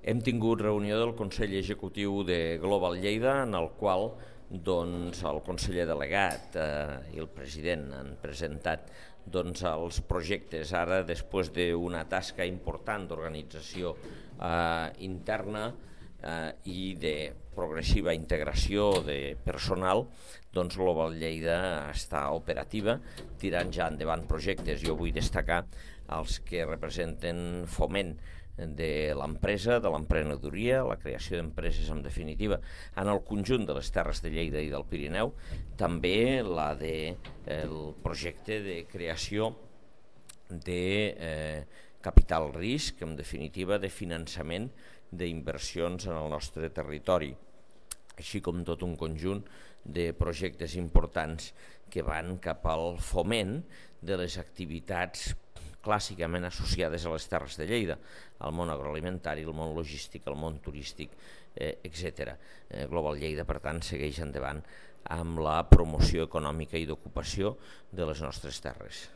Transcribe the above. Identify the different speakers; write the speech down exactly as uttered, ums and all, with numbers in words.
Speaker 1: Hem tingut reunió del Consell Executiu de Global Lleida, en el qual doncs, el conseller delegat eh, i el president han presentat doncs, els projectes. Ara, després d'una tasca important d'organització eh, interna eh, i de progressiva integració de personal, doncs Global Lleida està operativa, tirant ja endavant projectes. Jo vull destacar els que representen foment de l'empresa, de l'emprenedoria, la creació d'empreses en definitiva en el conjunt de les terres de Lleida i del Pirineu, també la de, eh, el projecte de creació de eh, capital risc, en definitiva de finançament d'inversions en el nostre territori, així com tot un conjunt de projectes importants que van cap al foment de les activitats clàssicament associades a les terres de Lleida, al món agroalimentari, al món logístic, al món turístic, eh, etcètera. Eh, Global Lleida, per tant, segueix endavant amb la promoció econòmica i d'ocupació de les nostres terres.